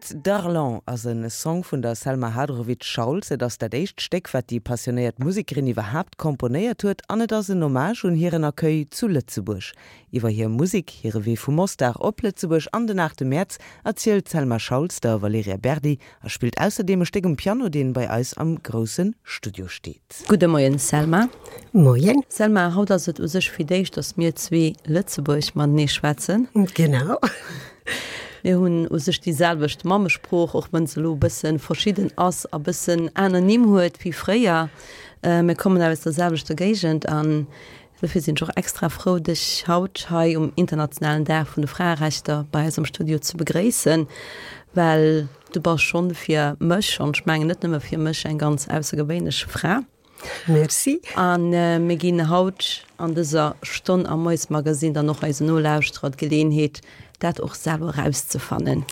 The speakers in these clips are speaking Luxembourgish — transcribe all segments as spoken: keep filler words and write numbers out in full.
Route d'Arlon ass e Song vun der Selma Hadrovic-Schauls. Et ass dat éischt Stéck, wat déi passionéiert Musekerin iwwerhaapt komponéiert huet, an et ass en Hommage un hiren Accueil zu Lëtzebuerg. Iwwer hir Musek, hire Wee vu Mostar op Lëtzebuerg an den aachte Mäerz erzielt d'Selma Schauls der Valerija Berdi a spillt ausserdeem e Stéck um Piano, deen bei eis am grousse Studio steet. Gudde Moien Selma. Moien. Selma, haut ass et u sech fir d'éischt, datt mir zwee Lëtzebuergesch matenee schwätzen. Genau. Mir hunn u sech déi selwecht Mammesprooch, och wann se elo e bësse verschidden ass a bëssen aner Nimm huet wéi fréier. Mir kommen aus der selwechter Géigend an dofir sinn ech och extra frou, dech haut hei um internationalen Dag vun de Fraerechter bei eis am Studio ze begréissen, well du bass schonn fir mech, an ech mengen net nëmme fir mech, eng ganz aussergewéinlech Fra. Merci. A mir ginn haut an dëser Stonn am Moiesmagazine dann och eisen Nolauschterer d'Geleeënheet, dat och selwer erauszefannen.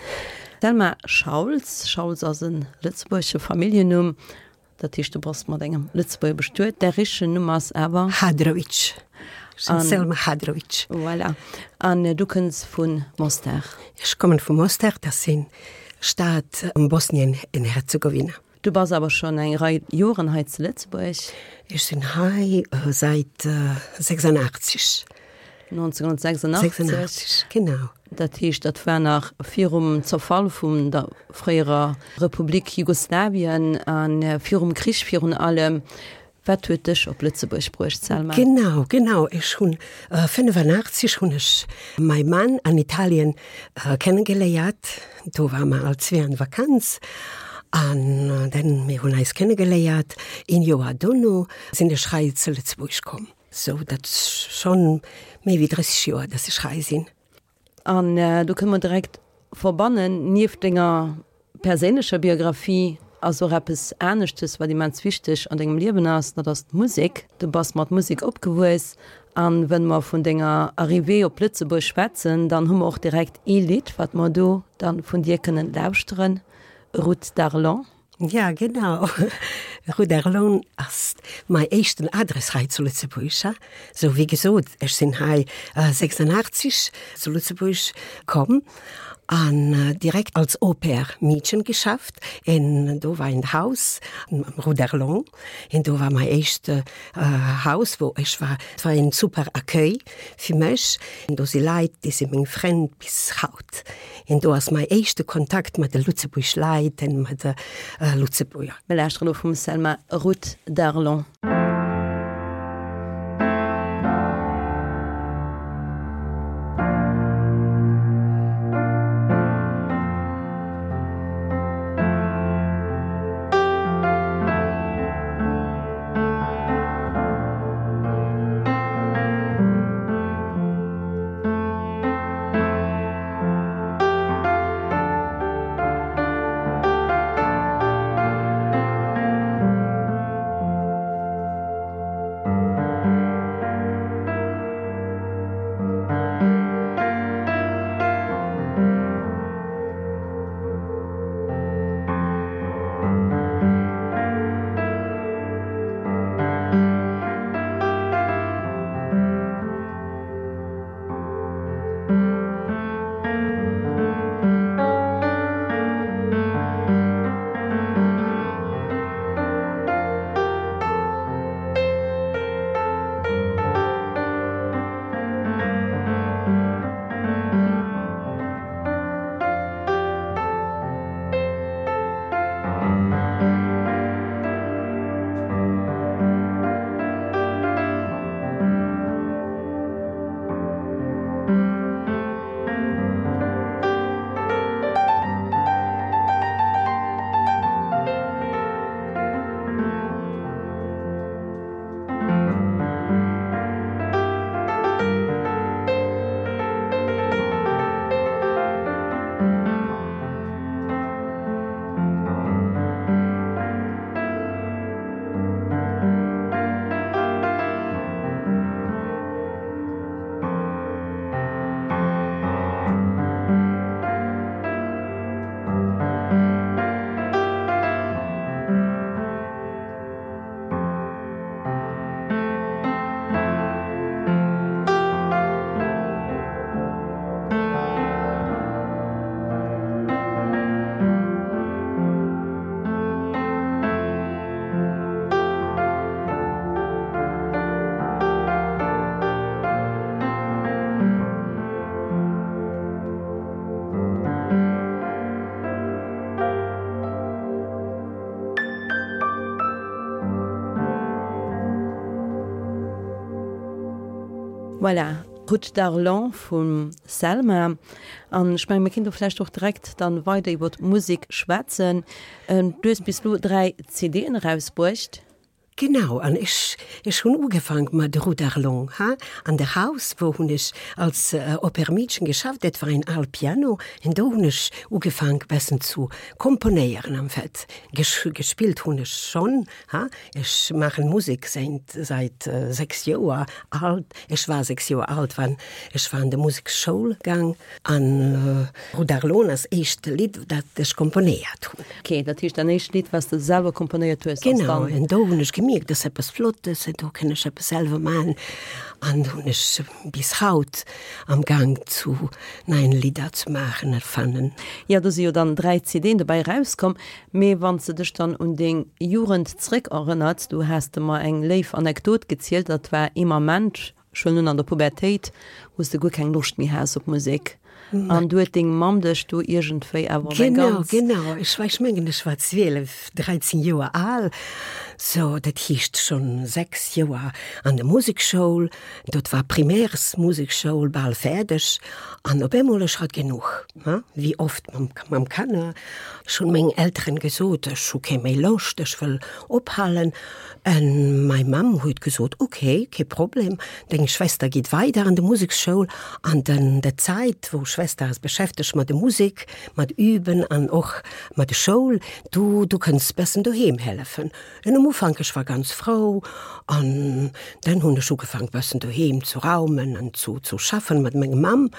Selma Schauls, Schauls ass e lëtzebuergesche Familljennumm, dat heescht, du bass mat engem Lëtzebuerger bestuet. Däi richtegen Numm ass awer? Hadrovic. Ech sinn Selma Hadrovic. Voilà. An du kënns vu Mostar? Ech kommen vu Mostar, dat ass eng Stad am Bosnien en Herzegowina. Du bass awer schonn eng Rei Joren hei zu Lëtzebuerg. Ech sinn hei säit sechsundachtzig. neunzehnhundertsechsundachtzig. Sechsundachtzig, genau. Dat heescht, dat war nach virum Zerfall vun der fréierer Republik Jugoslawien a virum Krich virun allem. Wat huet dech op Lëtzebuerg bruecht, Selma? Genau, genau. Ech hunn fënnefenachtzig hunn ech mäi Mann an Italien kennegeléiert. Do ware mer all zwee an Vakanz an dann mir hunn eis kennegeléiert. Een Joer dono sinn ech hei zu Lëtzebuerg komm. Sou dat ass schonn méi wéi drësseg Joer, dass ech hei sinn. An do kënne mer direkt verbannen, nieft denger perséinlecher Biografie ass och eppes aneschtes, wat immens wichteg an dengem Liewen ass, dat ass d'Musek. Du bass mat Musek opgewuess an wënn mer vun denger Arrivée op Lëtzebuerg schwätzen, dann hu mer och direkt ee Lidd, wat mer do dann vun dir kënnen lauschteren, Route d'Arlon. Ja, genau. Rue d'Arlon ass mei éischten Adress hei zu Lëtzebuerg. Sou wéi gesot, ech sinn hei sechsundachtzig zu Lëtzebuerg komm an direkt als Au-pair-Meedchen geschafft. En do war en Haus am Rue d'Arlon. En do war mei éischt Haus, wou ech war. Et war en super Accueil fir mech. En do si Leit, déi si meng Frënn bis haut. En do ass mei éischte Kontakt mat de Lëtzebuerg Leit en mat de Lëtzebuerger. Mir lauschteren elo vum Selma Route d'Arlon. Voilà, Route d'Arlon vum Selma. An ech mengen, mir kinne vläicht och direkt dann weider iwwer d'Musek schwätzen. Ähm, du hues bis elo dräi CDen erausbruecht. Genau, an ech, ech hunn ugefaang mat der Route d'Arlon, ha? An der Haus, wou hunn ech als äh, Au-pair-Meedchen geschafft, dat war en al Piano, an do hunn ech ugefaang bessen zu komponéieren am Fett. Ges gespillt hunn ech schonn, ha? Ech maachen Musek säit, säit äh, sechs Joer alt. Ech war sechs Joer alt, wann ech war an de Museksschoul gaang. An äh, Route d'Arlon ass éischt Lidd, dat ech komponéiert hunn. Okay, dat heescht däin éischt Lidd, wat s de selwer komponéiert hues, ass Genau, dann an do hunn ech gemierkt, dat ass eppes Flottes, an do kann ech eppes selwer maachen. An hunn ech bis haut am Gang zu neien Lidder ze maachen, erfannen. Ja, do si jo dann dräi CDen dobäi rauskomm. Mee wann s de dech dann un deng Jugend zréck erënners, du has de mer eng léif Anekdot gezielt, dat war ee Moment, schonn an der Pubertéit, wou s de guer keng Loscht méi has op Musek. An du huet deng Mamm dech do iergendwéi awer op eng Genau, ganz genau. Ech war, ech mengen, ech war zwielef, dräizéng Joer al. So, dat heescht schonn sechs Joer an der Musekschoul. Dat war Primärsmusekschoul, bal fäerdeg. An op eemol ech hat genuch, ha? Wéi oft mam, mam Kanner. Ech hunn meng Elteren gesot, ech hu keng méi Loscht, ech wëll ophalen. An mei Mamm huet gesot, okay, kee Problem, deng Schwester geet weider an de Museksschoul. An dann der Zäit, wou Schwester ass beschäftegt mat der Musek, mat Üben an och mat der Schoul, du, du kënns bessen doheem hellefen. An am Ufank, ech war ganz frou, an dann hunn ech ugefaang bessen doheem zu raumen an zu, zu schaffen mat menger Mamm.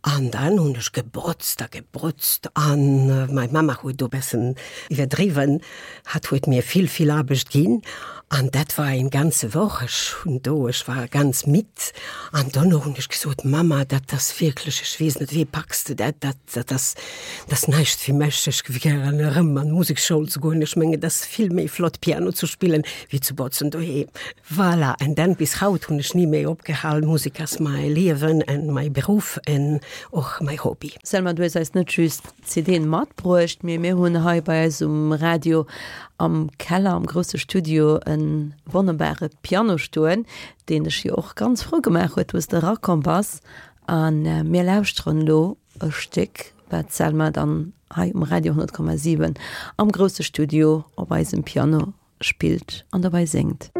An dann hunn ech gebotzt a gebotzt an äh, mei Mama huet do bessen iwwerdriwwen, hat huet mir vill, vill Aarbecht ginn. An dat war eng ganze Woch, ech hunn do, ech war ganz midd. An dann hunn ech gesot, Mama, dat ass wierklech, ech weess net, wéi packs de dat, dat, dat ass, dat ass näischt fir mech, ech géif gären erëm an d'Museksschoul ze goen. Ech mengen, dat ass vill méi flott Piano ze spillen, wéi ze botzen doheem. Voilà, an dann bis haut hunn ech ni méi opgehal. Musek ass mäi Liewen an mäi Beruff an och mäi Hobby. Selma, du hues eis net just CDen matbruecht, mee mir hunn hei bei eis um Radio am Keller, am grousse Studio e wonnerbare Piano stoen, deen dech jo och ganz frou gemaach huet, wou s de erakomm bass. An mir lauschteren elo e Stéck, wat d'Selma dann hei um Radio honnert Komma siwen am grousse Studio op eisem Piano spillt an dobäi séngt.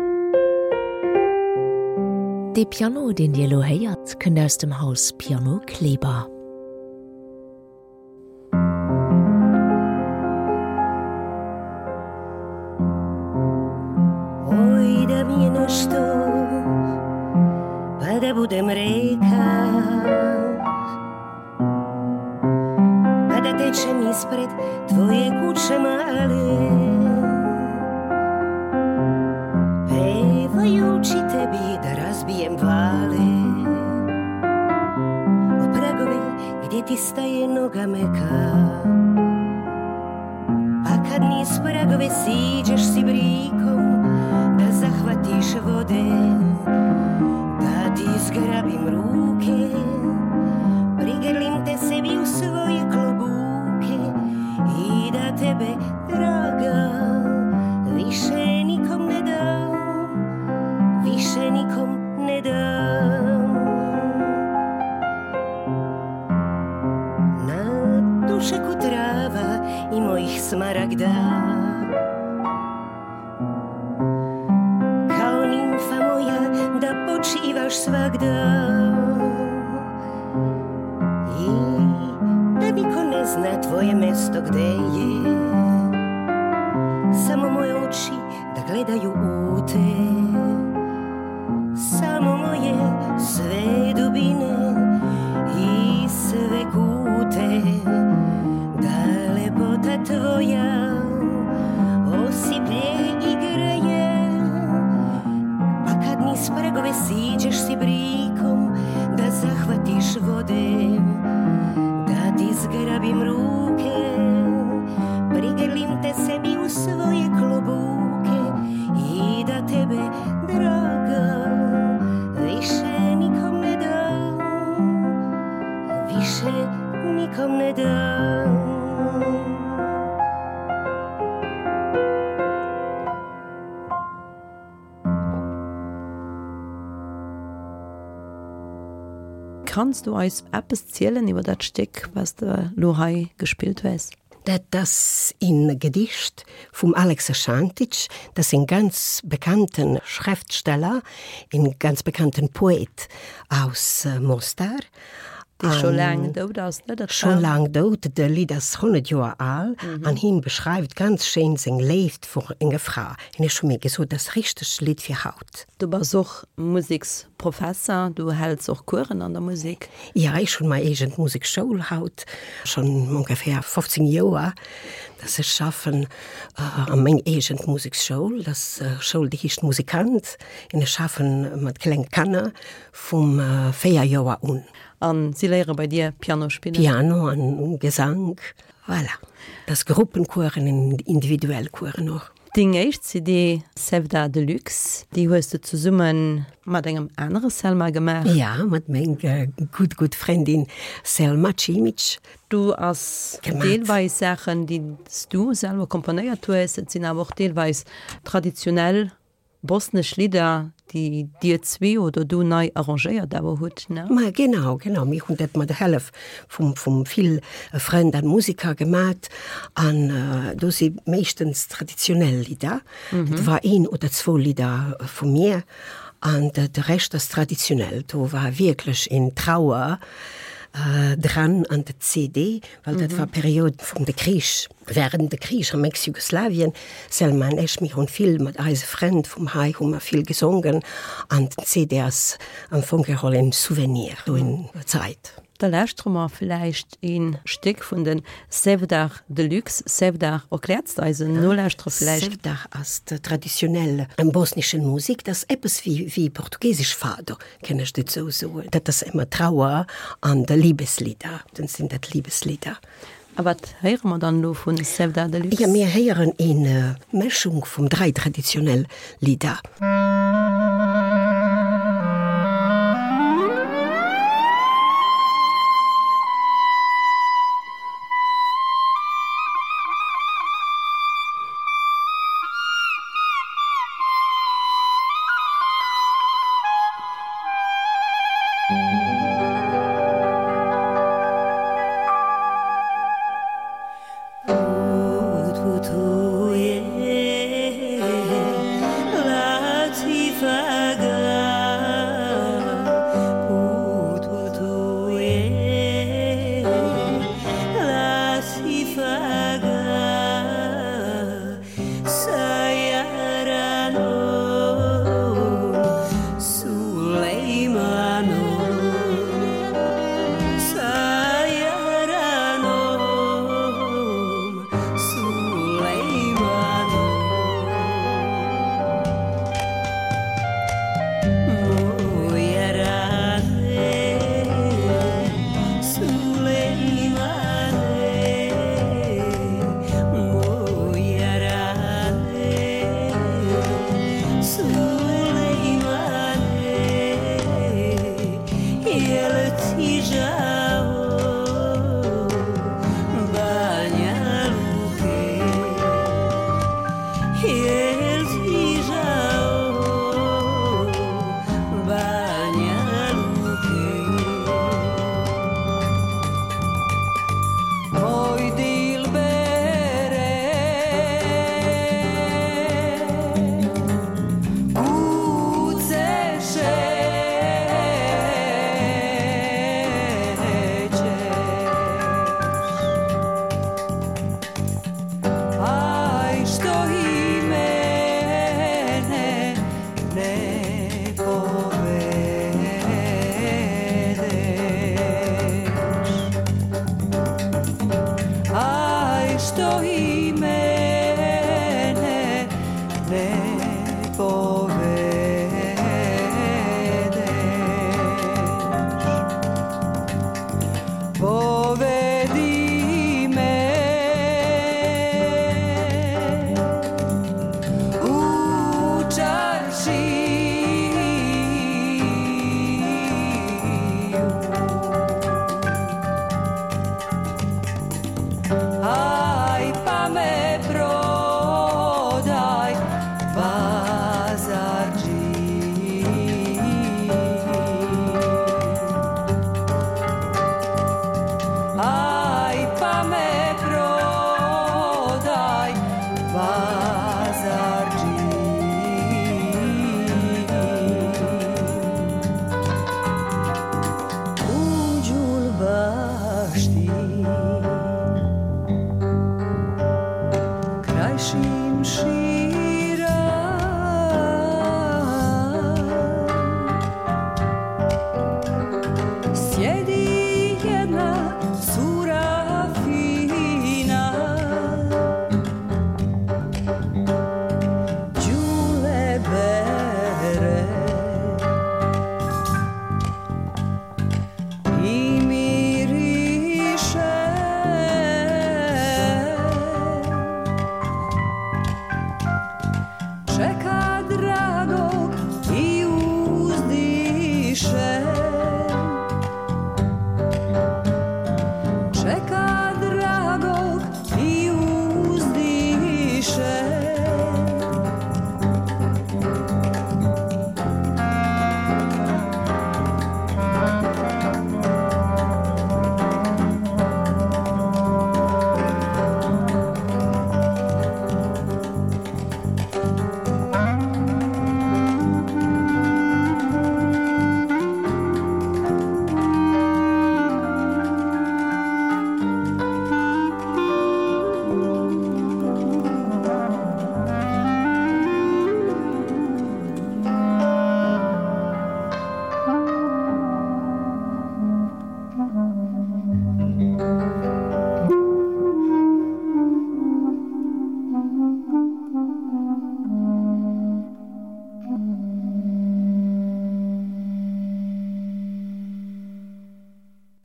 Dee Piano, deen Dir elo héiert, kënnt aus dem Haus Piano Kleber. Oj, da mi je nešto, pa da budem reka, pa da tečem ispred tvoje kuće male, pevajući tebi da razbijem vale o pragove gdje ti staje noga meka. Pa kad niz pragove siđeš si brikom da zahvatiš vode, da ti zgrabim ruke, prigrlim te sebi u svoje klobuke i da tebe, draga, više nikom ne dam, više nikom ne dam. Na dušeku trava i mojih smaragda, kao nimfa moja da počivaš svagda i da niko ne zna tvoje mesto gde je, samo moje oči da gledaju u te, samo moje sve dubine i sve kute, da lepota tvoja osiplje i greje. Pa kad niz pragove siđeš si brikom da zahvatiš vode, da ti zgrabim ruke, prigrlim te sebi u svoje klobuke i da tebe, draga, više nikom ne dam, više nikom ne dam. Kanns du eis eppes zielen iwwer dat Stéck, wat s de elo hei gespillt hues? Dat ass een Gedicht vum Aleksa Šantić, dat ass een ganz bekannten Schriftsteller, een ganz bekannten Poet aus Mostar. Dee scho laang dout ass, ne? Dat Scho laang dout, de Lidd ass honnert Joer al an hien beschreift ganz schéin seng Léift vor enger Fra. An ech hu mir gesot, dat ass richteg Lidd fir haut. Du bass och Museksprofesser, du häls och Coursen an der Musek. Ja, ech hunn mei eegent Musekschoul haut, schonn ongeféier fofzéng Joer, dass ech schaffen a meng eegent Museksschoul. Dat ass Schoul, déi heescht Musikant, an ech schaffen mat kleng Kanner vum véier Joer un. An si léiere bei dir Piano spillen? Piano an Gesank, voilà. Dat ass Gruppencoursen an individuell Coursen och. Deng éischt C D Sevda Deluxe, déi hues de zesumme mat engem anere Selma gemaach? Ja, mat menger gutt, gutt Frëndin Selma Cimic. Do ass deelweis Saachen, déi s du selwer komponéiert hues, et sinn awer och deelweis traditionell Bosnesch Lidder, déi dir zwee oder du nei arrangéiert awer hutt, ne? Ma genau, genau, mir hunn dat mat der Hëllef vum, vum vill Frënn an Musiker gemat an do si meeschtens traditionell Lidder. Et war een oder zwou Lidder vu mir an de, de Rescht ass traditionell. Do war wierklech een Trauer dran an de C D, well dat war Period vum de Krich, während de Krich am Ex-Jugoslawien. Selma an ech, mir hunn vill mat eise Frënn vum hei hu mer vill gesongen an den C D ass am Fong geholl en Souvenir vun der Zäit. Da lauschtere mer villäicht een Stéck vun den Sevdah Deluxe. Sevdah, erkläerts de eisen Nolauschterer villäicht? Sevdah ass de traditionell bosnischen Musik, dat ass eppes wéi wéi portugiesesch Fado, kann ech dat sou soen. Dat ass ëmmer Trauer an de Liebeslieder, dann sinn dat Liebeslieder. A wat héiere mer dann elo vun Sevdah Deluxe? Jo, mir héieren een Mëschung vum dräi traditionell Lidder. Sjedi jedna cura fina Đule bere I miriše Čeka dragog i uzdiše Čeka dragog i uzdiše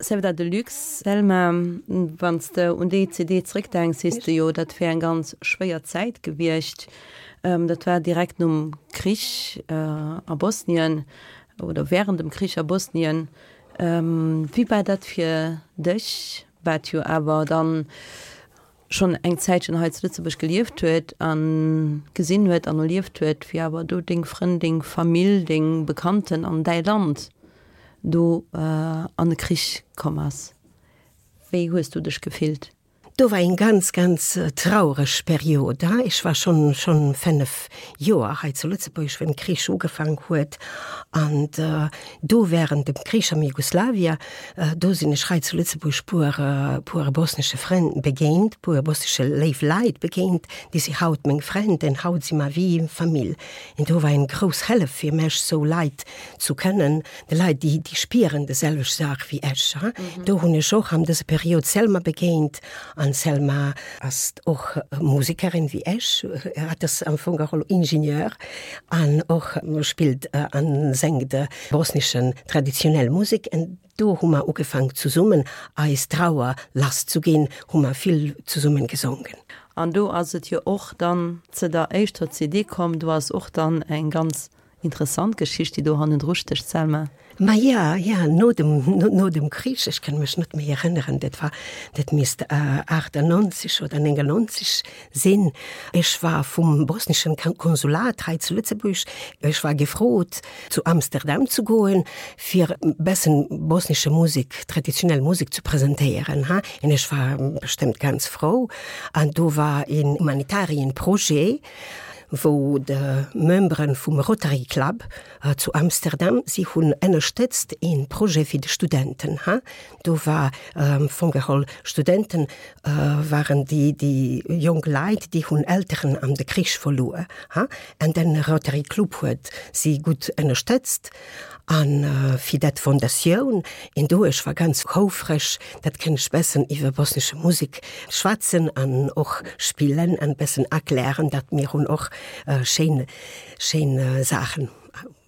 Sevda Deluxe, Selma, wann s de un déi C D zréckdenks, sees de jo, dat wär eng ganz schwéier Zäit gewiescht. Dat war direkt nom Krich a Bosnien oder während dem Krich a Bosnien. Wéi war dat fir dech, wat jo awer dann schonn eng Zäitchen hei zu Lëtzebuerg gelieft huet a gesinn huet an erlieft huet, wéi awer do deng Frënn, deng Famill, deng Bekannten an däi Land do an de Krich komm ass? Wéi hues du dech gefillt? Do war eng ganz, ganz traureg Period. Ech war schonn, schonn fënnef Joer hei zu Lëtzebuerg, wéi de Krich ugefaang huet. An do während dem Krich am Jugoslawien, do sinn ech hei zu Lëtzebuerg puer, puer bosnesche Frënn begéint, puer bosnesche léif Leit begéint, déi si haut meng Frënn, an haut si mer wéi Famill. An do war eng grouss Hëllef fir mech, sou Leit zu kennen, déi Leit, déi, déi spieren déi selwecht Saach wéi ech. Do hunn ech och an dëser Period Selma begéint, an Selma ass och Musekerin wéi ech, hat ass am Fong och Ingenieur an och spillt an sengt bosneschen traditionell Musek. An do hu mer ugefaang zesummen eis Trauer lass ze ginn, hu mer vill zesummen gesongen. An do ass et jo och dann zu der éischter C D komm, do ass och dann eng ganz interessant Geschicht, déi do hannendru stécht, Selma. Ma ja, ja, no dem, no, no dem Krich, ech kann mech net méi erënneren, dat war, dat misst äh, achtannonzeg oder néngannonzeg sinn. Ech war vum bosneschen Konsulat hei zu Lëtzebuerg, ech war gefrot, zu Amsterdam zu goen, fir bessen bosnesche Musek, traditionell Musek zu presentéieren. Ha? An ech war bestëmmt ganz frou. An do war een humanitarien Projet, wou de Memberen vum Rotary Club äh, zu Amsterdam, si hunn ënnerstëtzt een Projet fir de Studenten. Ha? Do war ähm, vun geholl Studenten äh, waren déi, déi jonk Leit, déi hunn Elteren am de Krich verluer. Ha? An den Rotary Club huet si gutt ënnerstëtzt an äh, fir dat Fondatioun an do ech war ganz houfreg, dat kënn ech bessen iwwer bosnesche Musek schwätzen an och spillen an bessen erklären, dat mir hunn och äh, schéin schéin äh, Saachen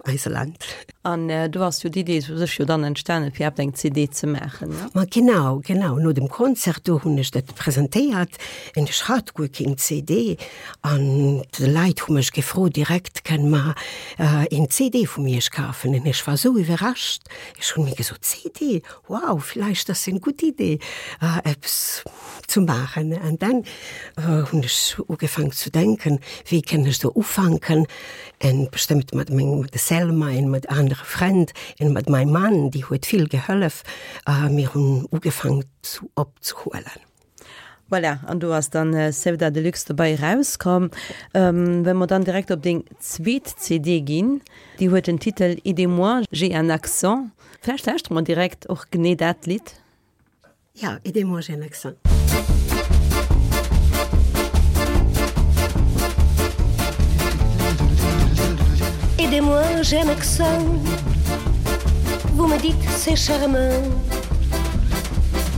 eise Land. An äh, do ass jo d'Idee u sech jo dann entstanen, fir eng C D ze maachen. Ne? Ma genau, genau no dem Konzert do hunn ech dat presentéiert an ech hat guer keng C D an d'Leit hu mech gefrot direkt kënne mer äh, een C D vu mir kafen an ech war sou iwwerrascht. Ech hunn mir gesot C D wow vläicht dat ass eng gutt Idee äh, eppes zu maachen an dann äh, hunn ech ugefaang zu denken wéi kënn ech do ufänken an bestëmmt mat mengem de Selma an mat anere Frënn an mat mengem Mann déi huet vill gehollef äh, mir hunn ugefaang zu opzehuelen. Voilà, an do ass dann äh, Sevda Deluxe dobäi rauskomm. Ähm, wa mer dann direkt op déi zweet C D ginn, déi huet den Titel Aidez-moi, j'ai un accent. Vläicht lauschtere mer direkt och genee dat Lidd. Ja, Aidez-moi, j'ai un accent. Aidez-moi, j'ai un accent. Vous me dites c'est charmant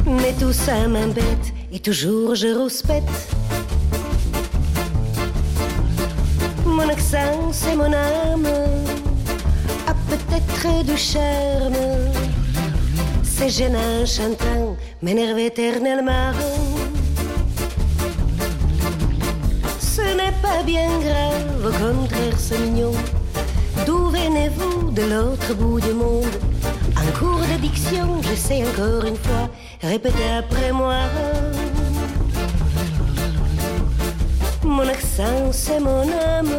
Mais tout ça m'embête et toujours je rouspète Mon accent c'est mon âme A peut-être du charme C'est gênant chantant m'énerve éternellement Ce n'est pas bien grave, au contraire c'est mignon D'où venez-vous de l'autre bout du monde En cours d'addiction, j'essaie encore une fois Répétez après moi Mon accent c'est mon âme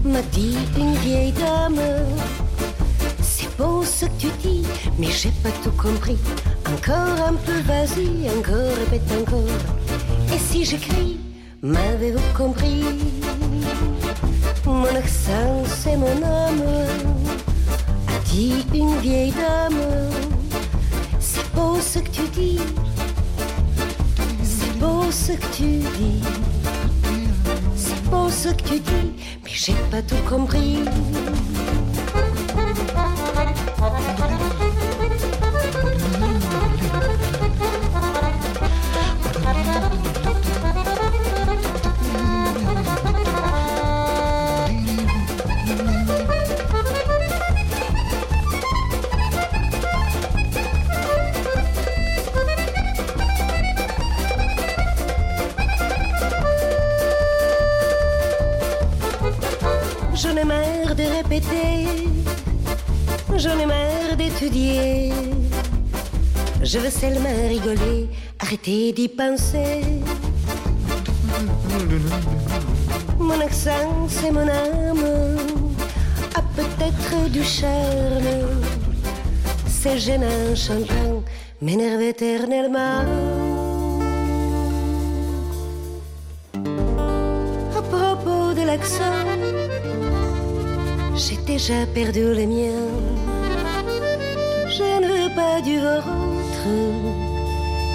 M'a dit une vieille dame C'est beau ce que tu dis, mais j'ai pas tout compris Encore un peu, vas-y, encore, répète encore Et si j'écris, m'avez-vous compris Mon accent c'est mon âme A dit une vieille dame C'est beau ce que tu dis C'est beau ce que tu dis C'est beau ce que tu dis Mais j'ai pas tout compris J'en ai marre de répéter J'en ai marre d'étudier Je veux seulement rigoler Arrêtez d'y penser Mon accent c'est mon âme A peut-être du charme C'est gênant chantant M'énerve éternellement À propos de l'accent J'ai déjà perdu le mien Je ne veux pas du vôtre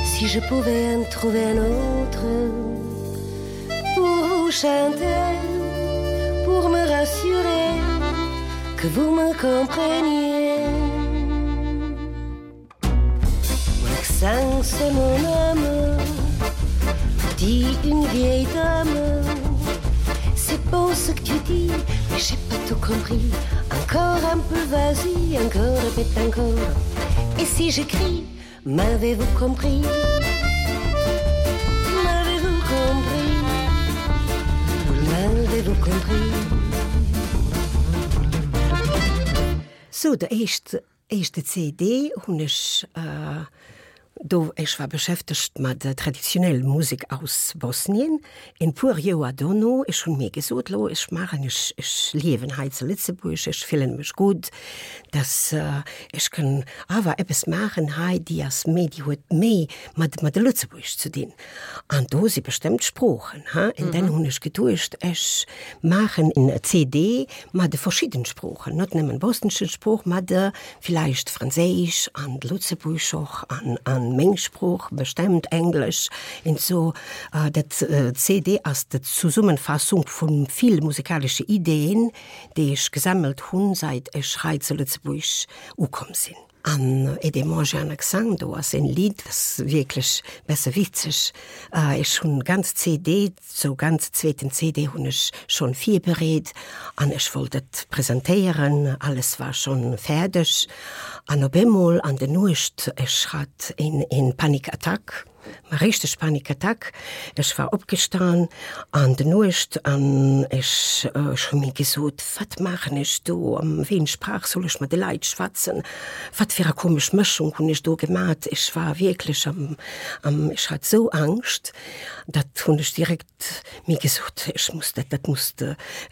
Si je pouvais en trouver un autre Pour vous chanter Pour me rassurer Que vous me compreniez Mon accent c'est mon âme Dit une vieille dame C'est beau ce que tu dis Mais j'ai pas tout compris Encore un peu vas-y Encore répète encore Et si j'écris M'avez-vous compris M'avez-vous compris M'avez-vous compris Sou, de éischt éischte CD hunn ech do, ech war beschäftegt mat der traditionell Musek aus Bosnien, en puer Joer dono, ech hunn mir gesot, lo, ech maachen, ech ech liewen hei zu Lëtzebuerg, ech fillen mech gutt, dass ech kann awer eppes maachen hei, déi ass méi, déi huet méi mat mat de Lëtzebuerg ze dinn. An do si bestëmmt Sproochen, ha, en dann hunn ech geduecht, ech maachen en CD mat de verschidden Sproochen, net nëmmen bosneschen Sprooch, mat de villäicht Franséisch an Lëtzebuergesch och an an meng Sprooch, bestemmt Englesch en sou. Dat CD ass de Zesummenfassung vun vill musikalesche Ideen, déi ech gesammelt hunn, seit ech hei zu Lëtzebuerg ukomm sinn. An Aidez-moi, j'ai un accent, do ass en Lidd, ass wierklech besse witzeg. Ech hunn ganz CD, sou ganz zweeten CD hunn ech schonn virbereet an ech wollt et presentéieren, alles war schonn fäerdeg an op eemol an der Nuecht, ech hat een een Panikattack, ma richteg Panikattack, ech war opgestan an der Nuecht an ech ech hu mir gesot, wat maachen ech do, am wéi eng Sprach soll ech mat de Leit schwätzen, wat fir a komesch Mëschung hunn ech do gemat, ech war wierklech am am ech hat sou Angscht, dat hunn ech direkt mir gesot, ech muss dat dat muss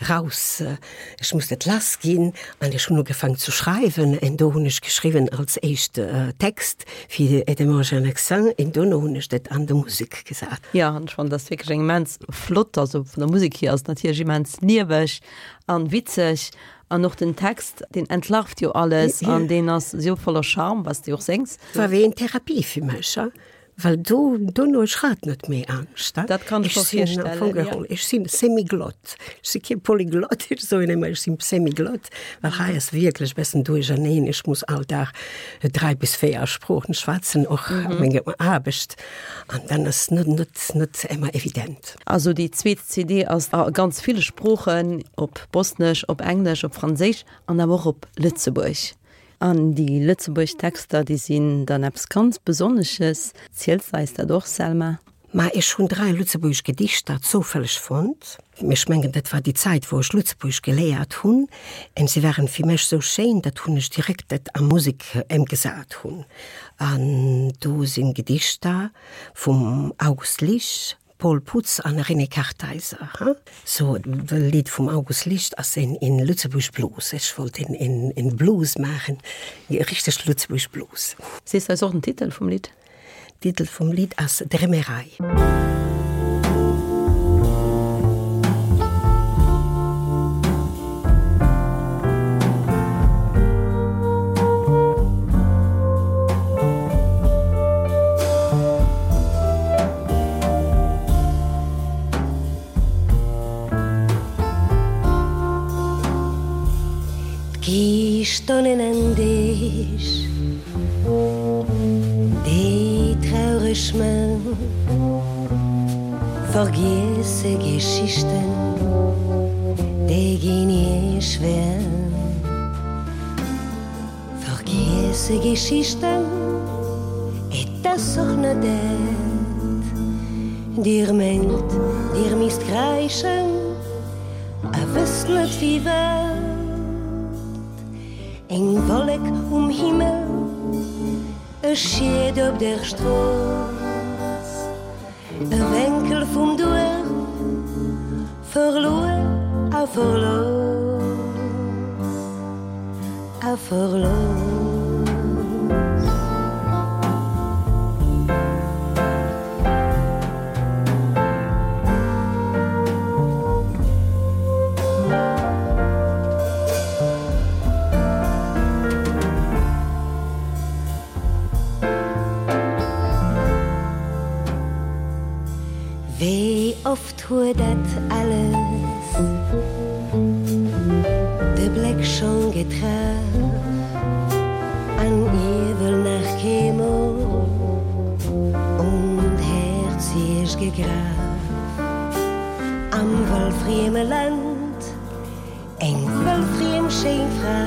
raus, ech muss dat lass ginn an ech hunn ugefaang zu schreiwen en do hunn ech geschriwwen als éischt Text fir Aidez-moi, j'ai un accent en dono hunn ech dat an de Musek gesat. Jo, an ech fannen dat wierklech eng immens flott, also vun der Musek hier ass et natierlech immens lieweg an witzeg an och den Text, deen entlarvt jo alles an deen ass esou voller Charme, was de och séngs. War wéi eng Therapie fir mech, Well do dono ech hat net méi Angscht. Dat kann ech Ech mer sinn am virstellen, Fong ja. geholl, ech sinn Semiglott. Ech si kee Polyglott, ech soen ëmmer, ech sinn Semiglott, well hei ass wierklech bessen duercherneen. Ech muss all Dag dräi bis véier Sproochen schwätzen, och mm -hmm. menger Aarbecht. An dann ass net, net, net ëmmer evident. Also déi zweet C D ass a ganz ville Sproochen, op Bosnesch, op Englesch, op Franséisch an awer och op Lëtzebuerg. An déi lëtzebuergesch Texter, déi sinn dann eppes ganz Besonnesches. Ziels de eis dat och, Selma? Ma ech hunn dräi lëtzebuergesch Gedichter zoufälleg fonnt. Ech mengen, dat war déi Zäit, wou ech Lëtzebuergesch geléiert hunn. En se waren fir mech sou schéin, dat hunn ech direkt dat a Musek ëmgesat hunn. An do sinn Gedichter vum August Lich, Paul Putz an René Kartheiser. Ha? So, de Lied vum August Licht ass en in Lëtzebuerg Blues. Ech wollt en, en, en Blues maachen, richteg Lëtzebuerg Blues. Sees de eis och den Titel vum Lidd? Titel vum Lidd ass Drémerei. D'Gistonnen an Deeg, déi traureg Männ, vergiesse Geschichten, déi ginn iech schwer. Vergiesse Geschichten, et ass och net dat. Dir mengt, dir misst kräischen, a wësst net firwat. Eng Wollek um Himmel, e Schied op der Strooss, e Wenkel vum Duerf, verluer a verlooss, a verlooss. Wéi oft huet dat alles de Bléck schonn getraff an iewel nach keemol un d'Häerz iech gegraff. Am wëllfrieme Land eng wëllfriem schéin Fra,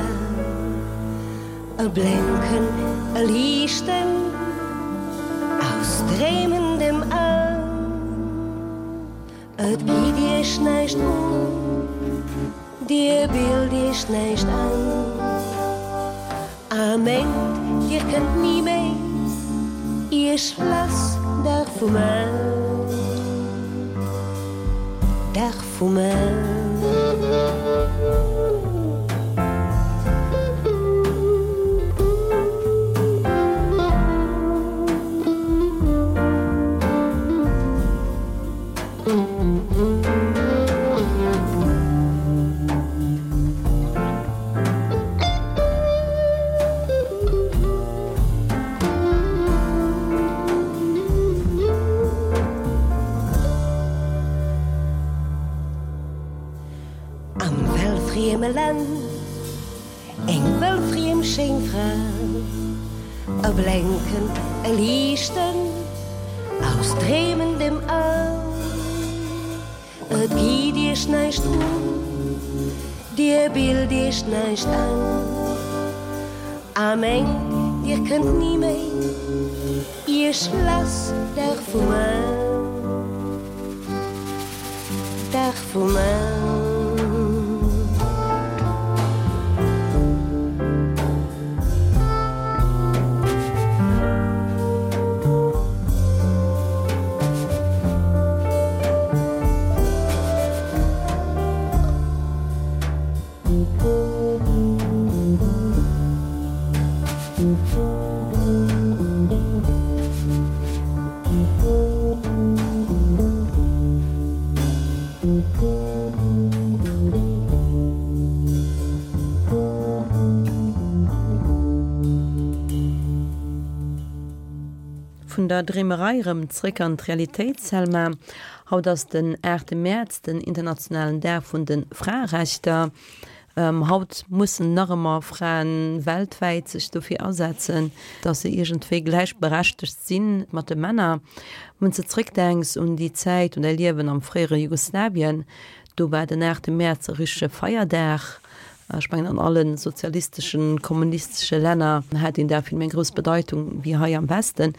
e Blénken, e Liichten aus dreemendem An. Et geet iech näischt un, dir bilt iech näischt an, a mengt, dir kënnt ni méi iech lass Dag vu man, Dag vu man. Am wellfrieme Land, eng wellfriem schéin Fra, e Blénken, e Liichten aus dreemendem An. Et geet iech näischt un, dir bilt iech näischt an, a mengt, dir kënnt ni méi iech lass Dag vu man, Dag vu man. Vun der Dreemerei erëm zréck an d'Realitéit, Selma. Haut ass den aachte Mäerz, den internationalen Dag vun de Fraerechter. Haut mussen nach ëmmer Fraen weltwäit sech dofir asetzen, dass se iergendwéi gläichberechtegt si mat de Männer. Wann s de zréckdenks un déi Zäit, un däi Liewen am fréiere Jugoslawien, do war den aachte Mäerz e richtege Feierdag. Ech mengen an alle sozialisteschen, kommunistesche Länner hat deen Dag vill méi eng grouss Bedeitung wéi hei am Westen.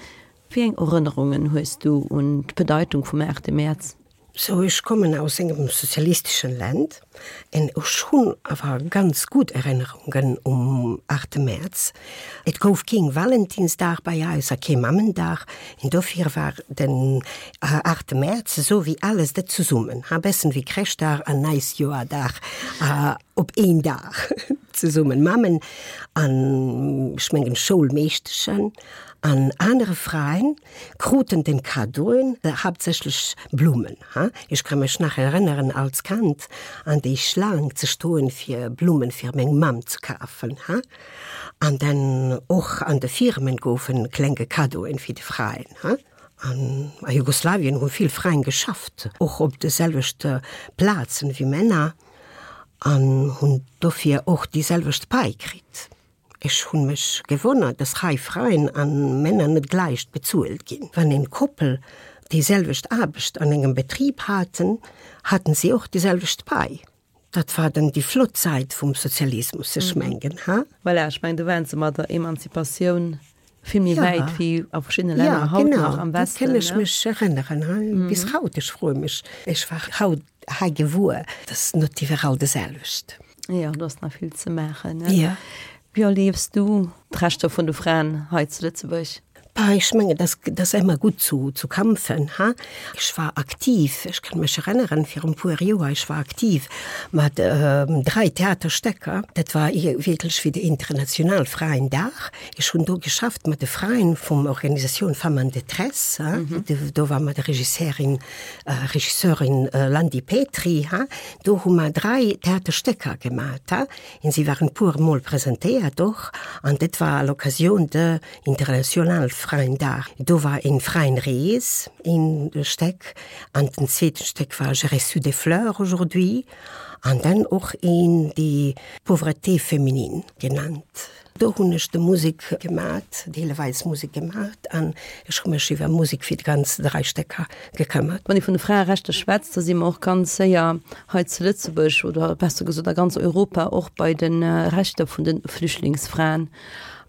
Wéi eng Erënnerungen hues du un d'Bedeitung vum aachte Mäerz? Sou, ech kommen aus engem sozialisteschen Land en ech hunn awer ganz gutt Erënnerungen um aachte Mäerz. Et gouf keen Valentinsdag bei eis a kee Mammendag en dofir war den aachte Mäerz esou wéi alles dat zesummen, ha bessen wéi Chreschtdag an Neisjoerdag op een Dag zesummen. Mammen an ech mengen Schoulmeeschteschen an anere Fraen kruten den Cadeauen, haaptsächlech Blummen, ha. Ech ka mech nach erënneren als Kand an déi Schlaang ze stoen fir Blummen fir meng Mamm ze kafen, ha. An dann och an de Firmen goufen klenge Cadeauen fir de Fraen, ha. An a Jugoslawien hu vill Fraen geschafft, och op de selwechte Plazen wéi Männer an hunn dofir och déi selwecht Pai kritt. Ech hunn mech gewonnert, dass hei Fraen an Männer net gläich bezuelt ginn. Wann en Koppel déi selwecht Aarbecht an engem Betrib haten, haten si och déi selwecht Pai. Dat war dann déi flott Säit vum Sozialismus, ech mengen, ha? Voilà, ech mengen, do waren se mat der Emanzipatioun vill méi wäit wéi a verschiddene Länner haut nach am Westen. Ja, genau, do kënn ech mech erënneren, ha? Bis haut, ech froe mech, ech war haut hei gewuer, dass net iwwerall de selwecht. Jo, do ass nach vill ze maachen, ne? Jo. Wéi erliefs du d'Rechter vun de Fraen hei zu Lëtzebuerg? Bah, ech mengen, dat dat ass ëmmer gutt zu zu kämpfen, ha. Ech war aktiv, ech kann mech erënneren, virun e puer Joer, ech war aktiv mat dräi Theaterstécker. Dat war wierklech fir de International Fraendag. Ech hunn do geschafft mat de Fraen vum Organisatioun Femmes en détresse, ha. Do war mat der Regisseurin, Regisseurin Landi Petry, ha. Do hu mer dräi Theaterstécker gemat, ha. En si waren puer mol presentéiert och, an dat war à l'occasion de International Fraendag. Do war een Fraenrees een Steck, an den zweeten Steck war J'ai reçu des fleurs aujourd'hui, an dann och een déi Pauvreté féminine genannt. Do hunn ech de Musek gemat, deeleweis Musek gemat, an ech hu mech iwwer Musek fir d'ganz dräi Stécker gekëmmert. Wann ee vun de Fraerechter schwätzt, da si mer och ganz séier hei zu Lëtzebuerg oder besser gesot a ganz Europa och bei de Rechter vun de Flüchtlingsfraen.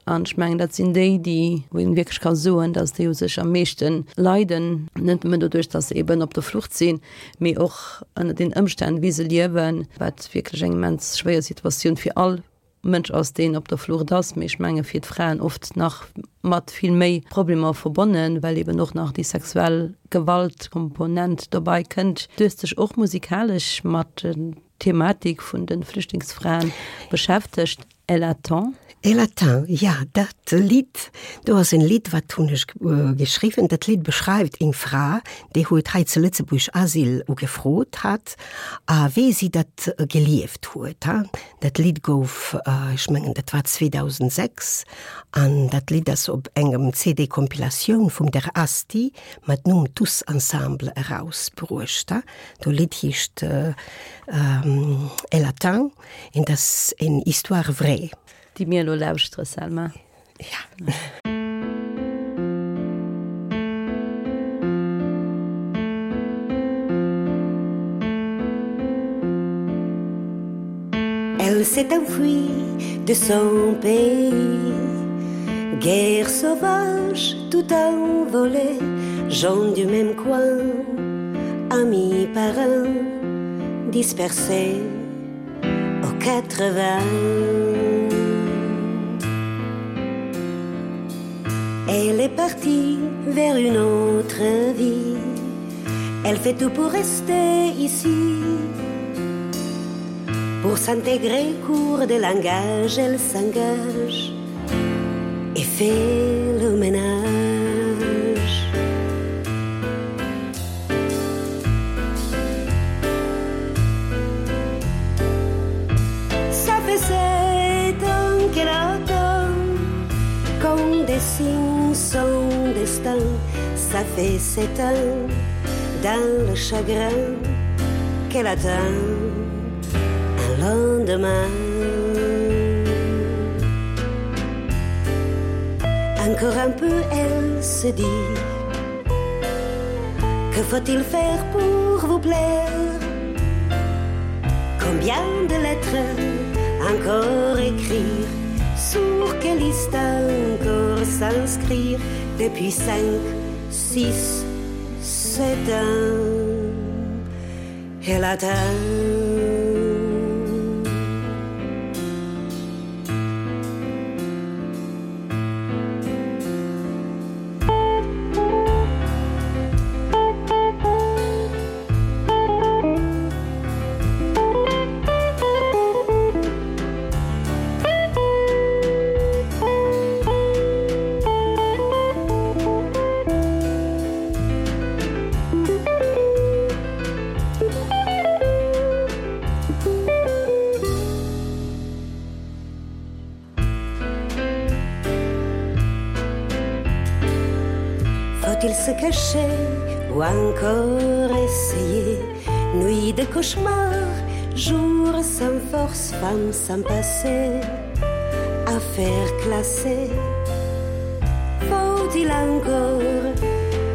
An ech mengen, dat sinn déi, déi, wou een wierklech ka soen, datt déi u sech am meeschte leiden, net nëmmen doduerch, datt se eben op der Flucht sinn, mee och ënner den Ëmstänn, wéi se liewen, wat wierklech eng immens schwéier Situatioun fir all Mënsch ass, deen op der Flucht ass, mee ech menge fir d'Fraen oft nach mat vill méi Problemer verbonnen, well eben och nach déi sexuell Gewaltkomponent dobei kënnt. Du hues dech och musikalesch mat der Thematik vun de Flüchtlingsfraen beschäftegt. Elle attend. Elle attend, ja, dat Lidd do ass en Lidd, wat hunn ech geschriwwen. Dat Lidd beschreift eng Fra, déi huet hei zu Lëtzebuerg Asyl ugefrot hat a wéi si dat gelieft huet. Dat Lidd gouf, ech mengen dat war zweedausendsechs an dat Lidd ass op engem C D-Compilatioun vum der Asti mat Numm Tous ensemble erausbruecht. Do Lidd heescht Elle attend en dat ass eng Histoire vraie. Déi mir elo lauschtere, Selma. Ja. Elle s'est enfuie de son pays Guerre sauvage tout envolée Gens du même coin Amis parents Dispersés aux quatre vents Elle est partie vers une autre vie Elle fait tout pour rester ici Pour s'intégrer cours de langage Elle s'engage et fait le ménage Ça fait sept ans qu'elle attend Qu'on dessine destine son destin. Ça fait sept ans dans le chagrin qu'elle attend un lendemain. Encore un peu, elle se dit Que faut-il faire pour vous plaire Combien de lettres encore écrire Sur quelle liste encore s'inscrire Depuis cinq, six, sept ans Elle attend Faut-il se cacher ou encore essayer Nuit de cauchemar, jour sans force, femme sans passé Affaire classée Faut-il encore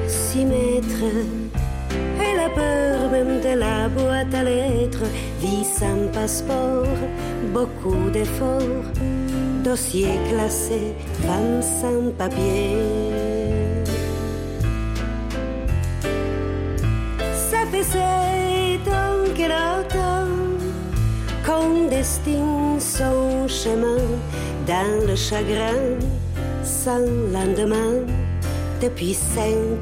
s'y mettre Et la peur même de la boîte à lettres Vie sans passeport, beaucoup d'efforts Dossier classé, femme sans papier Ça fait sept ans qu'elle attend Qu'on destine son chemin Dans le chagrin sans lendemain Depuis cinq,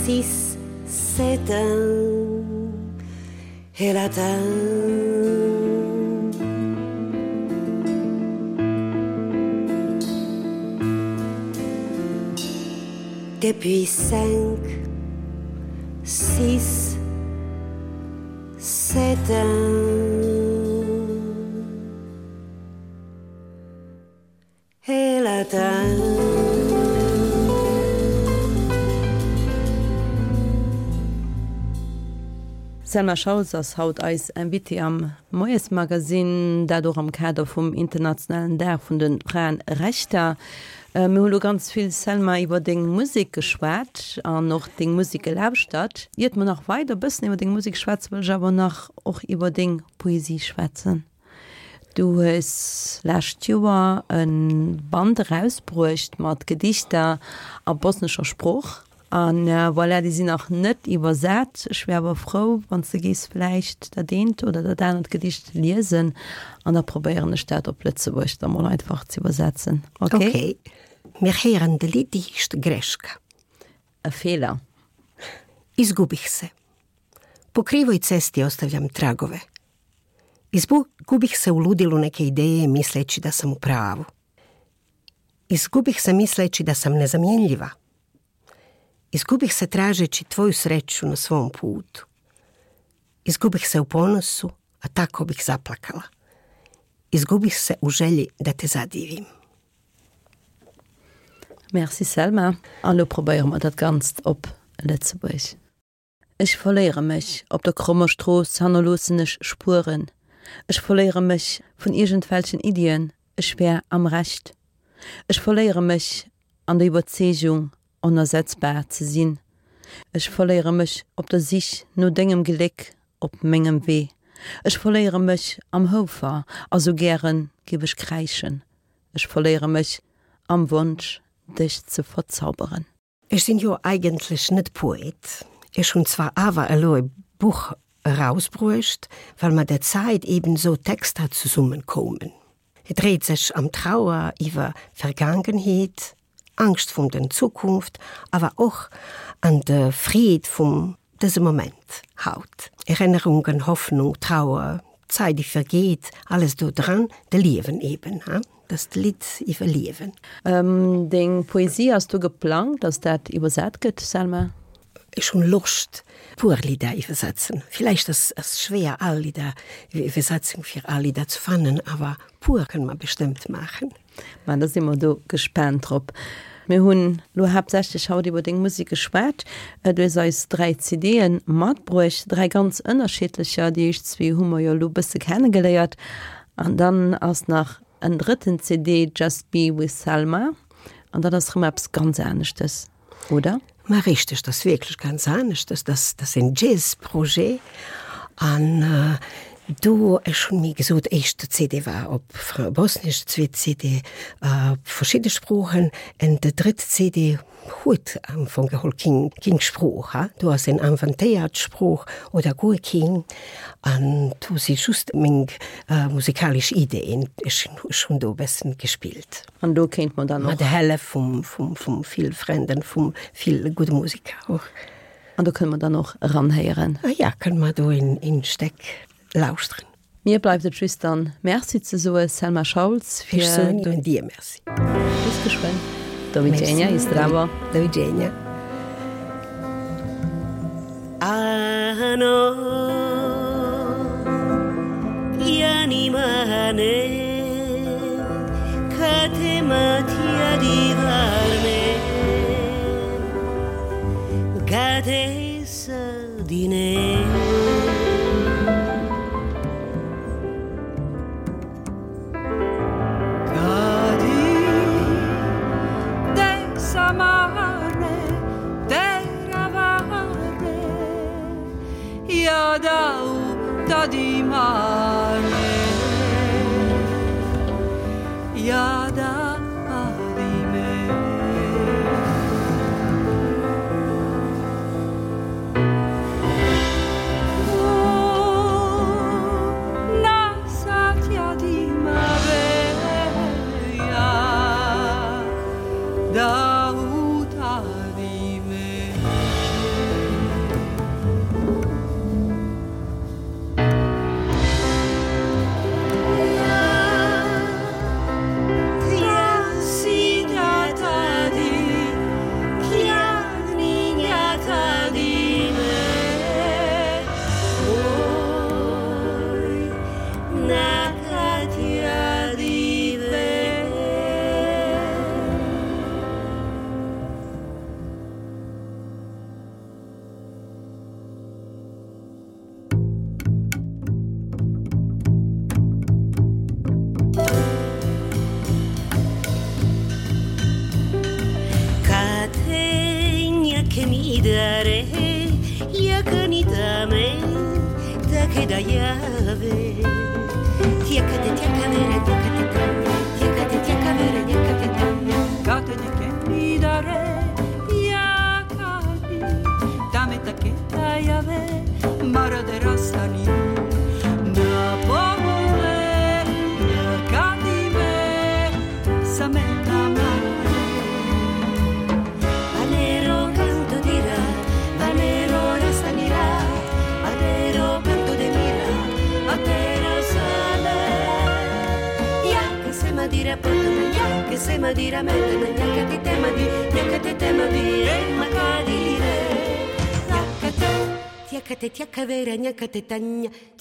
six, sept ans Elle attend Depuis cinq, six, sept ans Elle attend D'Selma Schauls ass haut eis Invitée am Moiesmagazin, dat och am Kader vum internationalen Dag vun de Fraerechter. Mir hu lo ganz vill, Selma, iwwer deng Musek geschwat an och deng Musek gelauschtert. Iert mer nach weider bëssen iwwer deng Musek schwätzen, wëll ech awer nach och iwwer deng Poesie schwätzen. Du hues lescht Joer e Band erausbruecht mat Gedichter a bosnescher Sprooch. An voilà, déi sinn nach net iwwersat. Ech wär awer frou, wann s de géifs vläicht dat eent oder dat anert Gedicht liesen an da probéieren ech dat op Lëtzebuergesch da mol einfach ze iwwersetzen. Okay? Okay. Mir héieren de Lidd, déi heescht Greška. E Feeler. Izgubih se. Po krivoj cesti ostavljam tragove. Izgubih se u ludilu neke ideje misleći da sam u pravu. Izgubih se misleći da sam nezamjenljiva. Izgubih se tražeći tvoju sreću na svom putu. Izgubih se u ponosu, a tako bih zaplakala. Izgubih se u želji da te zadivim. Merci Selma. An lo probéiere mer dat Ganzt op Lëtzebuergesch. Ech verléiere mech op der krommer Strooss, hannerloossen ech Spueren. Ech verléiere mech vun iergendwelchen Iddien, ech wär am Recht. Ech verléiere mech an der Iwwerzeegung, onersetzbar ze sinn. Ech verléiere mech op der Sich no dengem Gléck op mengem Wee. Ech verléiere mech am Houfer, a sou gären géif ech kräischen. Ech verléiere mech am Wonsch, dech ze verzauberen. Ech sinn jo eigentlech net Poet. Ech hunn zwar awer elo e Buch erausbruecht, well mat der Zäit eben sou Texter zesummenkoumen. Et dréit sech ëm Trauer iwwer Vergaangenheet, Angscht vum den Zukunft, awer och an de Freed vum dësem Moment, haut. Erennerungen, Hoffnung, Trauer, Zäit déi vergeet, alles do dran, de Liewen eben, ha, dat ass d'Lidd iwwer Liewen. Deng Poesie, ass do geplangt, dass dat iwwersat gëtt, Selma? Ech hunn Loscht puer Lidder iwwersetzen. Villäicht ass ass schwéier all Lidder Iwwersetzung fir all Lidder ze fannen, awer puer kënne mer bestëmmt maachen. Ma da si mer do gespaant drop. Mir hunn lo haaptsächlech haut iwwer deng Musek geschwat. Du hues eis dräi CDe matbruecht, dräi ganz ënnerschiddlecher. Déi éischt zwee hu mer jo elo e bësse kennegeléiert. An dann ass nach en drëtten C D, Just Be With Selma. An dat ass rëm eppes ganz aneschtes, oder? Ma richteg, dat ass wierklech ganz aneschtes. Dat ass en Jazz-Projet. An äh, do ech hunn, wéi gesot, éischte C D war op Bosnesch, zweet C D äh, verschidde Sproochen, an de drëtt C D huet am Fong geholl king, king Sprooch, ha? Do ass en inventéiert Sprooch oder guer king, an do si just meng äh, musikalesch Ideen, ech hunn do bëssen gespillt. An do kéint mer dann och. Mat der Hëllef vum, vum, vum vill Frënden, vum vill gudde Musiker och. An do kënne mer dann och eranhéieren. Ah ja, kënne mer do en, en Steck lauschteren. Mir bleift et just dann Merci ze soe Selma Schauls fir Ech soen dir Merci. Bis geschwënn. Doviđenja i zdravo. Doviđenja. Ano Yanimane Katematia divarne Katesa dine Tadimane Yada adime Oh Nasat yadima veya Davut adime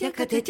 Tiakate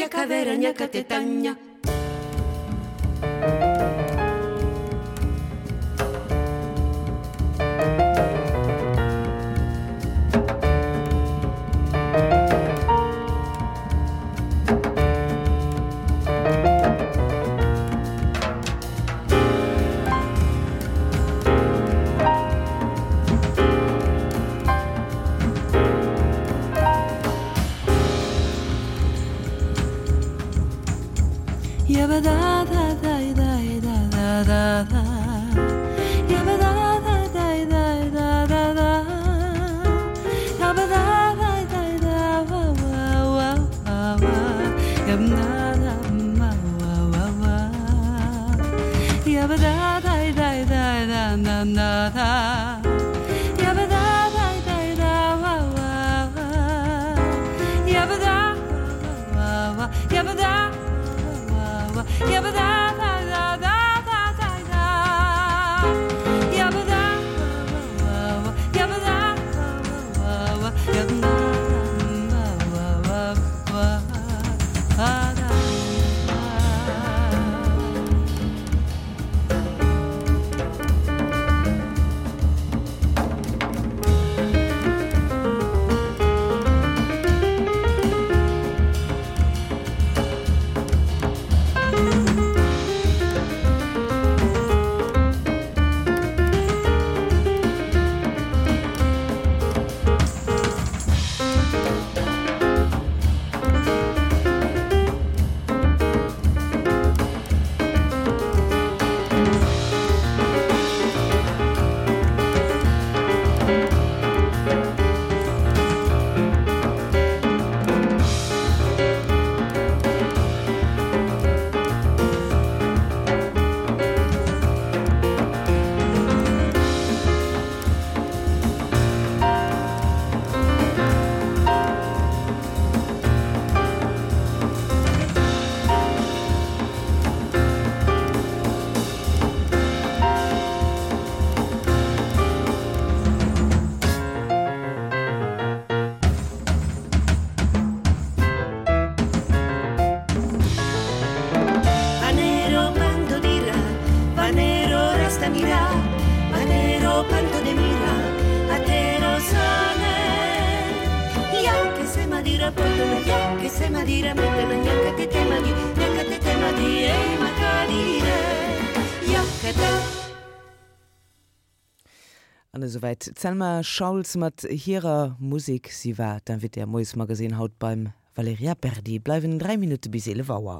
Patero panto de mira atero sane Ya que se madira potana ya que se madira metana ya que te temadi ya que te temadi e makadire Ya que te An esouwäit d'Selma Schauls mat hirer Musek. Si war d'Invitée am Moiesmagazin haut beim Valerija Berdi. Bleiwen dräi Minutte bis eelef Auer.